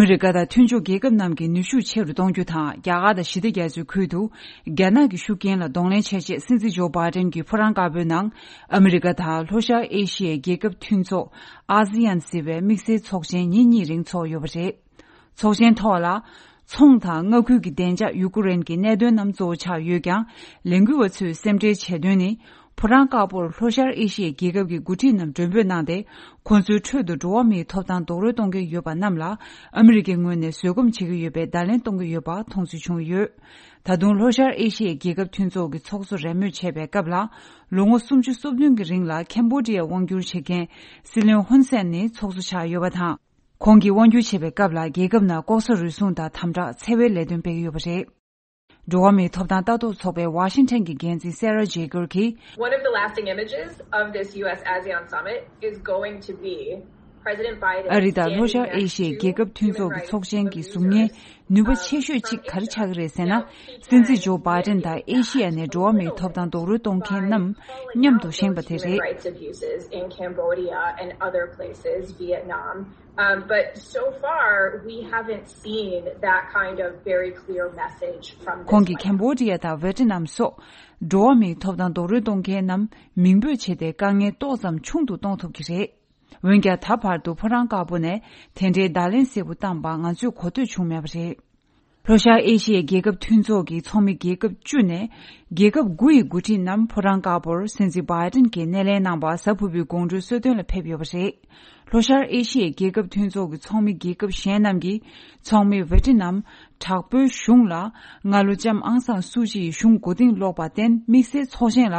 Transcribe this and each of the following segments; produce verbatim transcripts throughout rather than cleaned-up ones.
ཨ་མི་རི་ཀ་དང་མཐུན་ཕྱོགས་རྒྱལ་ཁབ་རྣམས་ཀྱི་ནུས་ཤུགས་ཆེ་རུ་གཏོང་རྒྱུ་དང་། རྒྱ་གར་དང་ཞི་བདེ་རྒྱ་མཚོའི་ཁུལ་དུ་རྒྱ་ནག་གི་ཤུགས་རྐྱེན་ལ་གདོང་ལེན་བྱེད་ཆེད། སྲིད་འཛིན་ཇོ་བྷའི་ཏན་གྱིས་ཕོ་བྲང་དཀར་པོའི་ནང་ཨ་མི་རི་ཀ་དང་ལྷོ་ཤར་ཨེ་ཤི་ཡའི་རྒྱལ་ཁབ་མཐུན་ཚོགས་ཨ་སི་ཡན་ཟེར་བའི་དམིགས་བསལ་ཚོགས་ཆེན་ཉིན་གཉིས་རིང་ཚོགས་ཡོད་པ་རེད། ཚོགས་ཆེན་ཐོག་ལ། ཚོང་དང་མངའ་ཁུལ་གྱི་བདེ་འཇགས། ཡུ་ཀེ་རེན་གྱི་གནད་དོན་རྣམས་གཙོ་བོ་ཆགས་ཡོད་ཀྱང་། ལས་འགུལ་བ་ཚོས་སེམས་ཁྲལ་བྱེད་དོན་ནི། ཕོ་བྲང་དཀར་པོར་ལྷོ་ཤར་ཨེ་ཤི་ཡའི་རྒྱལ་ཁབ་ཀྱི་འགོ་ཁྲིད་རྣམས་མགྲོན་འབོད་གནང་སྟེ། ཁོང་ཚོའི་ཁྲོད་དུ་འགྲོ་བ་མིའི་ཐོབ་ཐང་རྡོག་རོལ་གཏོང་མཁན་ཡོད་པ་རྣམས་ལ། ཨ་མི་རི་ཀའི་ངོས་ནས་བཟོད་སྒོམ་བྱེད་ཀྱི་ཡོད་པའི་བརྡ་ལན་གཏོང་གི་ཡོད་པ་མཐོང་ཚུལ་བྱུང་ཡོད། ད་དུང་ལྷོ་ཤར་ཨེ་ཤི་ཡའི་རྒྱལ་ཁབ་མཐུན་ཚོགས་ཀྱི་ཚོགས་གཙོ་རེས་མོས་བྱས་པའི་སྐབས་ལ། ལོ་ངོ་སུམ་ཅུ་སོ་བདུན་གྱི་རིང་ལ་ཁེམ་བོ་ཌི་ཡར་དབང་བསྒྱུར་བྱེད་མཁན་སྲིད་བློན་ཧུན་སེན་ནི་ཚོགས་གཙོ་ཆགས་ཡོད་པ་དང་། ཁོང་གིས་དབང་བསྒྱུར་བྱེད་པའི་སྐབས་ལ། རྒྱལ་ཁབ་ནང་ལྐོག་ཟ་རུལ་སུངས་དང་དམ་དྲག་འཚེ་བའི་ལས་དོན་སྤེལ་གྱི་ཡོད་པ་རེད། འགྲོ་བ་མིའི་ཐོབ་ཐང་ལྟ་རྟོག་ཚོགས་པའི་ཝ་ཤིང་ཊོན་གྱི་འགན་འཛིན་སེ་ར་ཇེ་གར་གྱིས། One of the lasting images of this U S ASEAN summit is going to be President Biden ཨ་རི་དང་ལྷོ་ཤར་ཨེ་ཤི་ཡའི་རྒྱལ་ཁབ་མཐུན་ཚོགས་ཀྱི་ཚོགས་ཆེན་གྱི་གཟུགས་བརྙན་ནུས་པ་ཆེ་ཤོས་གཅིག་ག་རེ་ཆགས་ཀྱི་རེད་ཟེར་ན། སྲིད་འཛིན་ཇོ་བྷའི་ཏན་དང་ཨེ་ཤི་ཡ་ནས་འགྲོ་བ་མིའི་ཐོབ་ཐང་རྡོག་རོལ་གཏོང་མཁན་རྣམས་མཉམ་དུ་བཞེངས་པ་དེ་རེད། Rights abuses in Cambodia and other places, Vietnam. Um, but so far, we haven't seen that kind of very clear message from this White House. ཁོང་གིས་ཁེམ་བོ་ཌི་ཡ་དང་ཝེ་ཏི་ནམ་སོགས་འགྲོ་བ་མིའི་ཐོབ་ཐང་རྡོག་རོལ་གཏོང་མཁན་རྣམས་མིང་འབོད་བྱས་ཏེ། དཀའ་ངལ་ཏོག་ཙམ་ཆུང་དུ་གཏོང་ཐུབ་ཀྱི་རེད། འོན་ཀྱང་། ད་བར་དུ་ཕོ་བྲང་དཀར་པོ་ནས་དེ་འདྲའི་བརྡ་ལན་གསལ་པོ་བཏང་པ་ང་ཚོས་གོ་ཐོས་བྱུང་མེད་པ་རེད། ལྷོ་ཤར་ཨེ་ཤི་ཡའི་རྒྱལ་ཁབ་མཐུན་ཚོགས་ཀྱི་ཚོགས་མི་རྒྱལ་ཁབ་བཅུ་ནས་རྒྱལ་ཁབ་དགུ་ཡི་འགོ་ཁྲིད་རྣམས་ཕོ་བྲང་དཀར་པོར་སྲིད་འཛིན་བྷའི་ཏིན་གྱིས་སྣེ་ལེན་གནང་པ་གཟའ་ཕུར་བུའི་དགོང་དྲོའི་གསོལ་སྟོན་ལ་ཕེབས་ཡོད་པ་རེད། ལྷོ་ཤར་ཨེ་ཤི་ཡའི་རྒྱལ་ཁབ་མཐུན་ཚོགས་ཀྱི་ཚོགས་མི་རྒྱལ་ཁབ་གཞན་རྣམས་ཀྱིས་ཚོགས་མི་ཝེ་ཏི་ནམ་དྲག་པོའི་གཞུང་ལ། སྔ་ལོ་ལྕམ་ཨང་སང་སུ་ཅིའི་གཞུང་མགོ་རྟིང་སློག་པར་བརྟེན། དམིགས་བསལ་ཚོགས་ཆེན་ལ་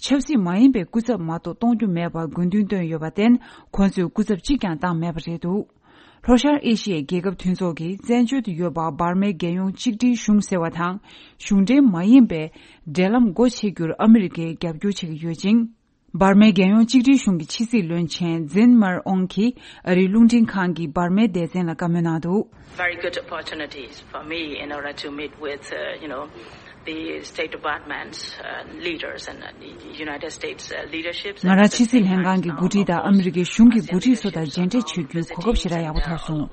ཆབ་སྲིད་མ་ཡིན་པའི་སྐུ་ཚབ་མ་གཏོགས་གཏོང་རྒྱུ་མེད་པར་དགོས་འདུན་བཏོན་ཡོད་པར་བརྟེན། ཁོང་ཚོས་སྐུ་ཚབ་གཅིག་ཀྱང་བཏང་མེད་པ་རེད་འདུག་ལྷོ་ཤར་ཨེ་ཤི་ཡའི་རྒྱལ་ཁབ་མཐུན་ཚོགས་ཀྱི་བཙན་བྱོལ་དུ་ཡོད་པ་འབར་མའི་རྒྱལ་ཡོངས་གཅིག་སྒྲིལ་གཞུང་ཟེར་བ་དང་། གཞུང་འབྲེལ་མ་ཡིན་པའི་འབྲེལ་ལམ་སྒོ་ཕྱེ་རྒྱུར་ཨ་མི་རི་ཀས་རྒྱབ་སྐྱོར་བྱེད་ཀྱི་ཡོད་ཅིང་། འབར་མའི་རྒྱལ་ཡོངས་གཅིག་སྒྲིལ་གཞུང་གི་ཕྱི་སྲིད་བློན་ཆེན་ཛིན་མར་ཨོང་གིས་ཨ་རིའི་རླུང་འཕྲིན་ཁང་གི་འབར་མའི་སྡེ་ཚན་ལ་བཀའ་མོལ་གནང་འདུག Very good opportunities for me in order to meet with, uh, you know, the State Department's, uh, leaders and, uh, the United States, uh, leaderships. ང་རང་ཕྱི་སྲིད་ལྷན་ཁང་གི་འགོ་ཁྲིད་དང་ཨ་མི་རི་ཀའི་གཞུང་གི་འགོ་ཁྲིད་ཚོ་དང་མཇལ་འཕྲད་བྱེད་རྒྱུའི་གོ་སྐབས་ཞེ་དྲག་ཡག་པོ་ཐོབ་སོང་།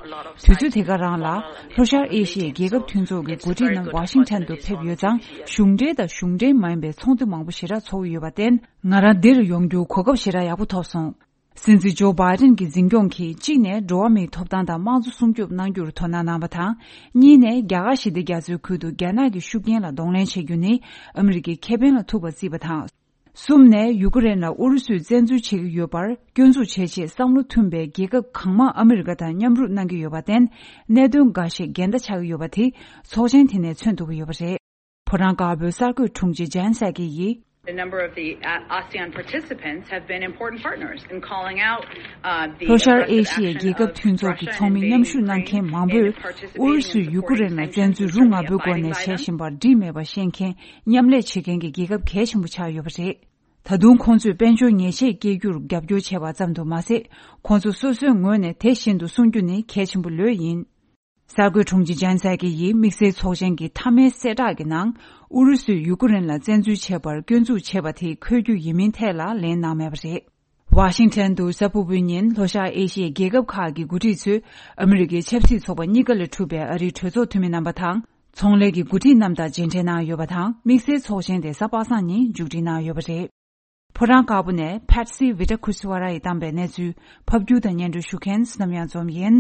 དུས་ཚོད་དེ་ག་རང་ལ་ལྷོ་ཤར་ཨེ་ཤི་ཡའི་རྒྱལ་ཁབ་མཐུན་ཚོགས་ཀྱི་འགོ་ཁྲིད་རྣམས་ཝ་ཤིང་ཊོན་དུ་ཕེབས་ཡོད་ཙང་། གཞུང་འབྲེལ་དང་གཞུང་འབྲེལ་མ་ཡིན་པའི་ཚོགས་འདུ་མང་པོ་ཞེ་དྲག་ཚོགས་ཀྱི་ཡོད་པར་བརྟེན། ང་རང་འདིར་ཡོང་རྒྱུའི་གོ་སྐབས་ཞེ་དྲག་ཡག་པོ་ཐོབ་སོང་། སྲིད་འཛིན་ཇོ་བྷའི་ཏན་གྱི་འཛིན་སྐྱོང་གིས། གཅིག་ནས་འགྲོ་བ་མིའི་ཐོབ་ཐང་དང་དམངས་གཙོ་སྲུང་སྐྱོབ་གནང་རྒྱུར་དོ་སྣང་གནང་བ་དང་། གཉིས་ནས་རྒྱ་གར་ཞི་བདེ་རྒྱ་མཚོའི་ཁུལ་དུ་རྒྱ་ནག་གི་ཤུགས་རྐྱེན་ལ་གདོང་ལེན་བྱེད་རྒྱུ་ནི་ཨ་མི་རི་ཀའི་ཁེ་ཕན་ལ་ཐུག་པར་བརྩིས་པ་དང་། གསུམ་ནས་ཡུ་ཀེ་རེན་ལ་ཨུ་རུ་སུས་བཙན་འཛུལ་བྱེད་ཀྱི་ཡོད་པར་སྐྱོན་འཛུགས་བྱེད་ཆེད་བསམ་བློ་མཐུན་པའི་རྒྱལ་ཁབ་གང་མང་ཨ་མི་རི་ཀ་དང་མཉམ་རུབ་གནང་གི་ཡོད་པར་བརྟེན། གནད་དོན་འགའ་ཞིག་འགལ་ཟླ་ཆགས་ཀྱི་ཡོད་པ་དེ་ཚོགས་ཆེན་དེ་ནས་མཚོན་ཐུབ་ཀྱི་ཡོད་པ་རེད། ཕོ་བྲང་དཀར་པོའི་གསར་འགོད་དྲུང་ཆེ་ཇན་སཱ་ཀི་ཡིས། The number of the, uh, ASEAN participants have been important partners in calling out, uh, the ལྷོ་ཤར་ཨེ་ཤི་ཡའི་རྒྱལ་ཁབ་མཐུན་ཚོགས་ཀྱི་ཚོགས་མི་མཉམ་ཞུགས་གནང་མཁན་མང་པོས་ཨུ་རུ་སུས་ཡུ་ཀེ་རེན་ལ་བཙན་འཛུལ་རུ་ང་པོའི་སྒོ་ནས་བྱེད་བཞིན་པར་འགྲིག་མེད་པ་ཤེས་མཁན་མཉམ་ལས་བྱེད་མཁན་གྱི་རྒྱལ་ཁབ་གལ་ཆེན་པོ་ཆགས་ཡོད་པ་རེད། ད་དུང་ཁོང་ཚོས་དཔལ་འབྱོར་ཉེས་ཆད་སྐྱེལ་རྒྱུར་རྒྱབ་སྐྱོར་བྱས་པ་ཙམ་དུ་མ་ཟད། ཁོང་ཚོ་སོ་སོའི་ངོས་ནས་དེ་བཞིན་དུ་སྲུང་རྒྱུ་ནི་གལ་ཆེན་པོ་ལོས་ཡིན། གསར་འགོད་དྲུང་ཆེ་ཇན་སཱ་ཀི་ཡིས་དམིགས་བསལ་ཚོགས་ཆེན་གྱི་མཐའ་མའི་གསལ་བསྒྲགས་ཀྱི་ནང་། ཨུ་རུ་སུས་ཡུ་ཀེ་རེན་ལ་བཙན་འཛུལ་བྱས་པར་སྐྱོན་འཛུགས་བྱས་པ་དེ་འཁོད་རྒྱུ་ཡིན་མིན་ཐད་ལ་ལན་གནང་མེད་པ་རེད། ཝ་ཤིང་ཊོན་དུ་གཟའ་ཕུར་བུའི་ཉིན་ལྷོ་ཤར་ཨེ་ཤི་ཡའི་རྒྱལ་ཁབ་ཁག་གི་འགོ་ཁྲིད་ཚོས་ཨ་མི་རི་ཀའི་ཆབ་སྲིད་ཚོགས་པ་གཉིས་ཀ་ལས་གྲུབ་པའི་ཨ་རིའི་གྲོས་ཚོགས་འཐུས་མི་རྣམ་པ་དང་། ཚོང་ལས་ཀྱི་འགོ་ཁྲིད་རྣམས་དང་མཇལ་འཕྲད་གནང་ཡོད་པ་དང་། དམིགས་བསལ་ཚོགས་ཆེན་དེ་གཟའ་པ་སངས་ཉིན་མཇུག་སྒྲིལ་གནང་ཡོད་པ་རེད། ཕོ་བྲང་དཀར་པོ་ནས་ཕེ་ཊི་སི་ཝི་ཊ་ཁུ་སི་ཝ་ར་ཡིས་བཏང་པའི་གནས་ཚུལ། ཕབ་སྒྱུར་དང་སྙན་སྒྲོན་ཞུ་མཁན་བསོད་ནམས་གཡང་འཛོམས་ཡིན།